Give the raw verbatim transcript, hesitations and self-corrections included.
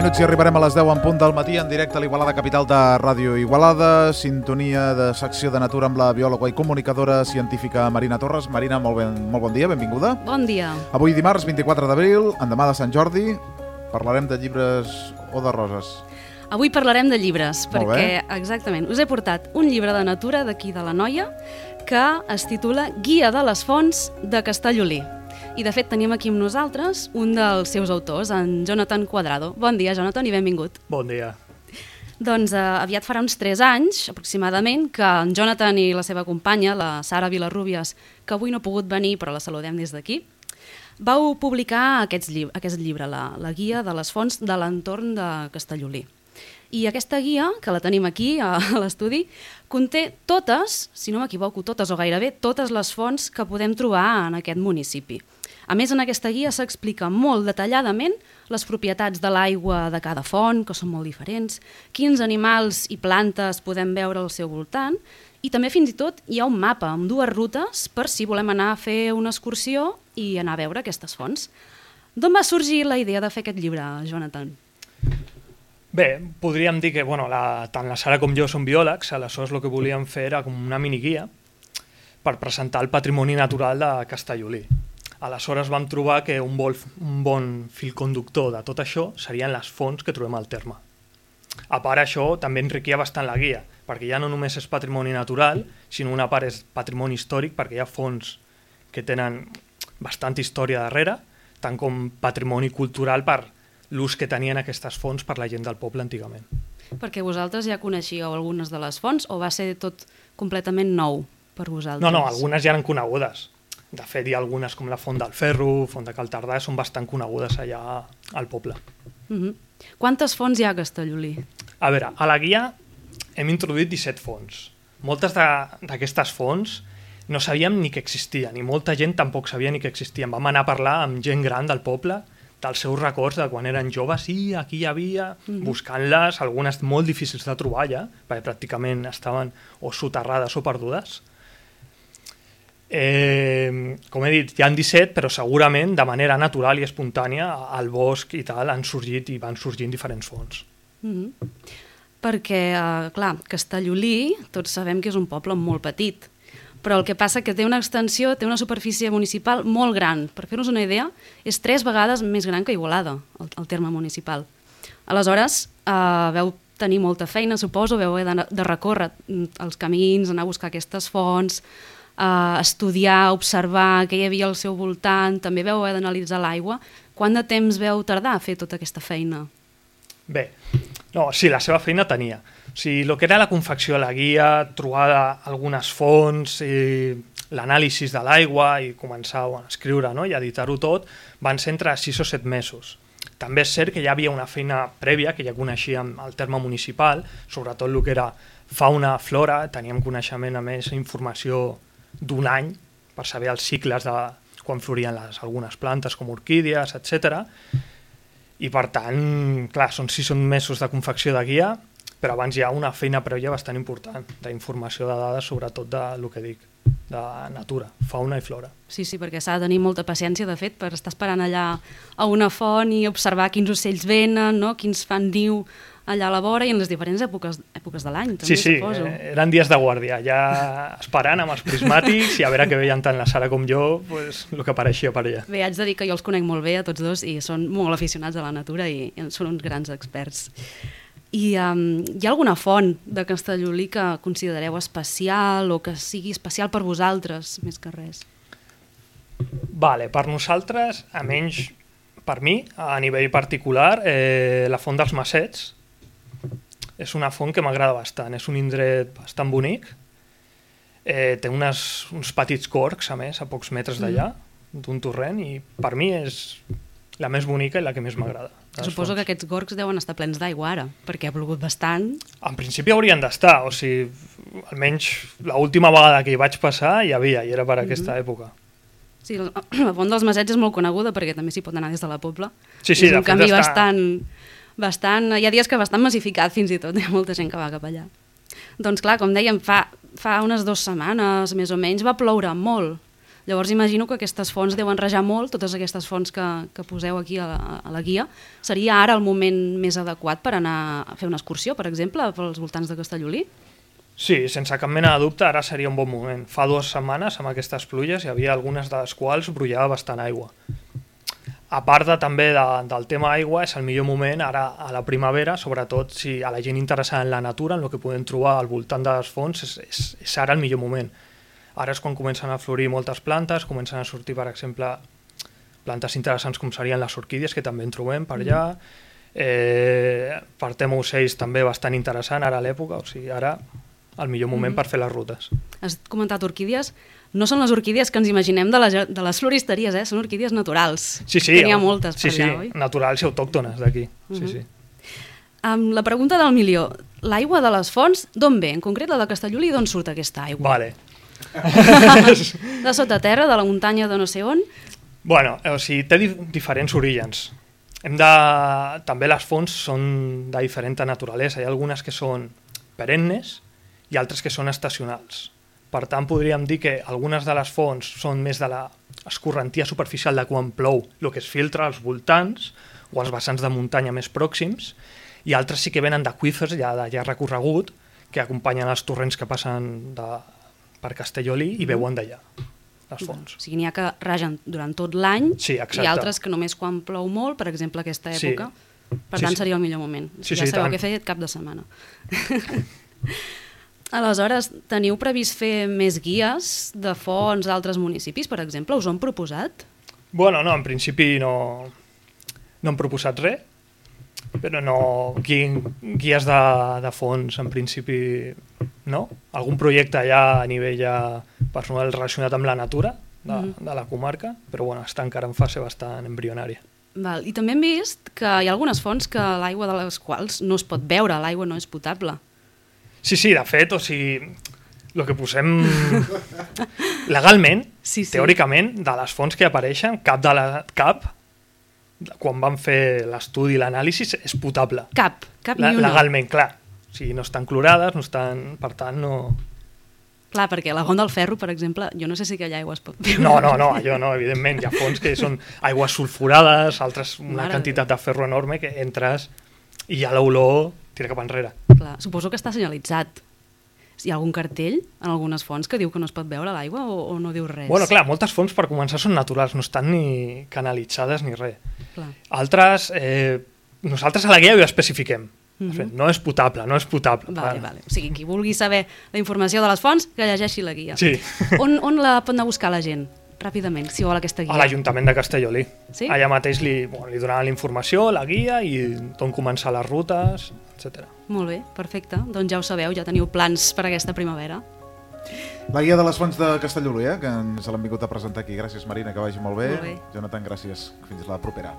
minuts i arribarem a les deu en punt del matí en directe a l'Igualada Capital de Ràdio Igualada, sintonia de secció de natura amb la biòloga i comunicadora científica Marina Torres. Marina, molt, ben, molt bon dia, benvinguda. Bon dia. Avui dimarts vint-i-quatre d'abril, endemà de Sant Jordi, parlarem de llibres o de roses. Avui parlarem de llibres, Molt perquè, bé. exactament, us he portat un llibre de natura d'aquí de l'Anoia que es titula Guia de les fonts de Castellolí. I, de fet, tenim aquí amb nosaltres un dels seus autors, en Jonathan Cuadrado. Bon dia, Jonathan, i benvingut. Bon dia. Doncs eh, aviat farà uns tres anys, aproximadament, que en Jonathan i la seva companya, la Sara Vilarrubias, que avui no ha pogut venir, però la saludem des d'aquí, vau publicar aquests llib aquest llibre, la, la Guia de les fonts de l'entorn de Castellolí. I aquesta guia, que la tenim aquí a l'estudi, conté totes, si no m'equivoco, totes o gairebé totes les fonts que podem trobar en aquest municipi. A més, en aquesta guia s'explica molt detalladament les propietats de l'aigua de cada font, que són molt diferents, quins animals i plantes podem veure al seu voltant, i també fins i tot hi ha un mapa amb dues rutes per si volem anar a fer una excursió i anar a veure aquestes fonts. D'on va sorgir la idea de fer aquest llibre, Jonathan? Bé, podríem dir que bueno, la, tant la Sara com jo som biòlegs, aleshores el que volíem fer era com una miniguia per presentar el patrimoni natural de Castellolí. Aleshores vam trobar que un, vol, un bon fil conductor de tot això serien les fonts que trobem al terme. A part això també enriquia bastant la guia, perquè ja no només és patrimoni natural, sinó una part és patrimoni històric, perquè hi ha fonts que tenen bastanta història darrere, tant com patrimoni cultural per l'ús que tenien aquestes fonts per la gent del poble antigament. Perquè vosaltres ja coneixíeu algunes de les fonts o va ser tot completament nou per vosaltres? No, no, algunes ja eren conegudes. De fet, hi ha algunes com la Font del Ferro, Font de Cal Tardà, són bastant conegudes allà al poble. Uh-huh. Quantes fonts hi ha a Castellolí? A veure, a la guia hem introduït disset fonts. Moltes d'aquestes fonts no sabíem ni que existien, i molta gent tampoc sabia ni que existien. Vam anar a parlar amb gent gran del poble, dels seus records de quan eren joves, sí, aquí hi havia, uh-huh. buscant-les, algunes molt difícils de trobar ja, perquè pràcticament estaven o soterrades o perdudes. Eh, com he dit, hi ha disset, però segurament de manera natural i espontània al bosc i tal han sorgit i van sorgint diferents fonts. Mm-hmm. Perquè, eh, clar, Castellolí, tots sabem que és un poble molt petit, però el que passa que té una extensió, té una superfície municipal molt gran. Per fer-nos una idea, és tres vegades més gran que Igualada, el, el terme municipal. Aleshores, eh, veu tenir molta feina, suposo, veu haver de, de recórrer els camins, anar a buscar aquestes fonts, Uh, estudiar, observar què hi havia al seu voltant, també veu haver d'analitzar l'aigua. Quant de temps veu tardar a fer tota aquesta feina? Bé, no, sí, la seva feina tenia. O sigui, el que era la confecció de la guia, trobar algunes fonts, i l'anàlisi de l'aigua i començar a escriure, no? I editar-ho tot, van ser entre sis o set mesos. També és cert que ja havia una feina prèvia, que ja coneixíem el terme municipal, sobretot el que era fauna, flora, teníem coneixement, a més, informació d'un any per saber els cicles de quan florien les, algunes plantes com orquídies, etcètera. I per tant, clar, són sis mesos de confecció de guia, però abans hi ha una feina prèvia bastant important d'informació de dades, sobretot de lo que dic, de natura, fauna i flora. Sí, sí, perquè s'ha de tenir molta paciència, de fet, per estar esperant allà a una font i observar quins ocells venen, no? Quins fan niu allà a la vora i en les diferents èpoques, èpoques de l'any, també, sí, sí, suposo. Sí, eren dies de guàrdia, ja esperant amb els prismàtics i a veure què veien tant la Sara com jo, pues, el que apareixia per allà. Bé, haig de dir que jo els conec molt bé a tots dos i són molt aficionats a la natura i són uns grans experts. I um, hi ha alguna font de Castellolí que considereu especial o que sigui especial per vosaltres, més que res? Vale, per nosaltres, a menys per mi, a nivell particular, eh, la Font dels Massets és una font que m'agrada bastant, és un indret bastant bonic, eh, té unes, uns petits gorgs, a més, a pocs metres d'allà, mm. d'un torrent, i per mi és la més bonica i la que més m'agrada. Suposo fonts. Que aquests gorgs deuen estar plens d'aigua ara, perquè ha plogut bastant. En principi haurien d'estar, o sigui, almenys l'última vegada que hi vaig passar hi havia, i era per mm-hmm. aquesta època. Sí, la, la Font dels Massets és molt coneguda perquè també s'hi pot anar des de la Pobla. Sí, sí, és un camí està... bastant... Bastant, hi ha dies que bastant massificat fins i tot, hi ha molta gent que va cap allà. Doncs clar, com dèiem, fa, fa unes dues setmanes més o menys va ploure molt. Llavors imagino que aquestes fonts deuen rajar molt, totes aquestes fonts que, que poseu aquí a la, a la guia. Seria ara el moment més adequat per anar a fer una excursió, per exemple, pels voltants de Castellolí? Sí, sense cap mena de dubte, ara seria un bon moment. Fa dues setmanes, amb aquestes pluges, hi havia algunes de les quals brollava bastant aigua. A part de, també de, del tema aigua, és el millor moment ara a la primavera, sobretot si a la gent interessada en la natura, en el que podem trobar al voltant de les fonts, és, és, és ara el millor moment. Ara és quan comencen a florir moltes plantes, comencen a sortir, per exemple, plantes interessants com serien les orquídies, que també en trobem per allà. Eh, per tema ocells també bastant interessant ara a l'època, o sigui, ara el millor moment mm. per fer les rutes. Has comentat orquídies. No són les orquídies que ens imaginem de les, de les floristeries, eh? Són orquídies naturals. Sí, sí. Que n'hi ha moltes sí, per allà, sí, oi? Naturals i autòctones d'aquí. Mm -hmm. sí, sí. Um, la pregunta del milió. L'aigua de les fonts, d'on ve? En concret, la de Castellolí, d'on surt aquesta aigua? Vale. De sota terra, de la muntanya de no sé on? Bueno, o sigui, té di diferents orígens. Hem de... També les fonts són de diferent naturalesa. Hi ha algunes que són perennes i altres que són estacionals. Per tant, podríem dir que algunes de les fonts són més de l'escorrentia superficial de quan plou, el que es filtra als voltants o als vessants de muntanya més pròxims, i altres sí que venen d'aqüífers ja de llarg recorregut, que acompanyen els torrents que passen de, per Castellolí i veuen d'allà les fonts. O sigui, n'hi ha que ragen durant tot l'any sí, i altres que només quan plou molt, per exemple, aquesta època. Sí. Per tant, sí, sí. seria el millor moment. Sí, ja sí, sabeu tant. què fer cap de setmana. Aleshores, teniu previst fer més guies de fonts d'altres municipis, per exemple? Us ho han proposat? Bueno, no, en principi no, no hem proposat res, però no, gui, guies de, de fons, en principi, no. Algun projecte ja a nivell ja personal relacionat amb la natura de, mm. de la comarca, però bueno, està encara en fase bastant embrionària. Val. I també hem vist que hi ha algunes fonts que l'aigua de les quals no es pot beure, l'aigua no és potable. Sí, sí, de fet, o sigui, el que posem legalment, sí, sí. teòricament, de les fonts que apareixen, cap de la... cap quan van fer l'estudi i l'anàlisi és potable. Cap, cap ni una. Legalment, clar. O sigui, no estan clorades, no estan... Per tant, no... Clar, perquè la Font del Ferro, per exemple, jo no sé si aquella aigua es pot beure. No, no, no, allò no, evidentment. Hi ha fonts que són aigües sulfurades, altres una Mare quantitat de ferro enorme que entres i ja l'olor tira cap enrere. Clar, suposo que està senyalitzat. Hi ha algun cartell en algunes fonts que diu que no es pot beure l'aigua o, o no diu res? Bueno, clar, moltes fonts per començar són naturals, no estan ni canalitzades ni res. Clar. Altres, eh, nosaltres a la guia ho especifiquem. Uh -huh. No és potable, no és potable. Vale, vale. O sigui, qui vulgui saber la informació de les fonts, que llegeixi la guia. Sí. On, on la pot anar a buscar la gent? Ràpidament, si vol aquesta guia. A l'Ajuntament de Castellolí. Sí? Allà mateix li, bueno, li donaran la informació, la guia i d'on començar les rutes, etcètera. Molt bé, perfecte. Doncs ja ho sabeu, ja teniu plans per aquesta primavera. La guia de les fonts de Castellolí, eh, que ens l'han vingut a presentar aquí. Gràcies, Marina, que vagi molt bé. Molt bé. Jonathan, gràcies. Fins la propera.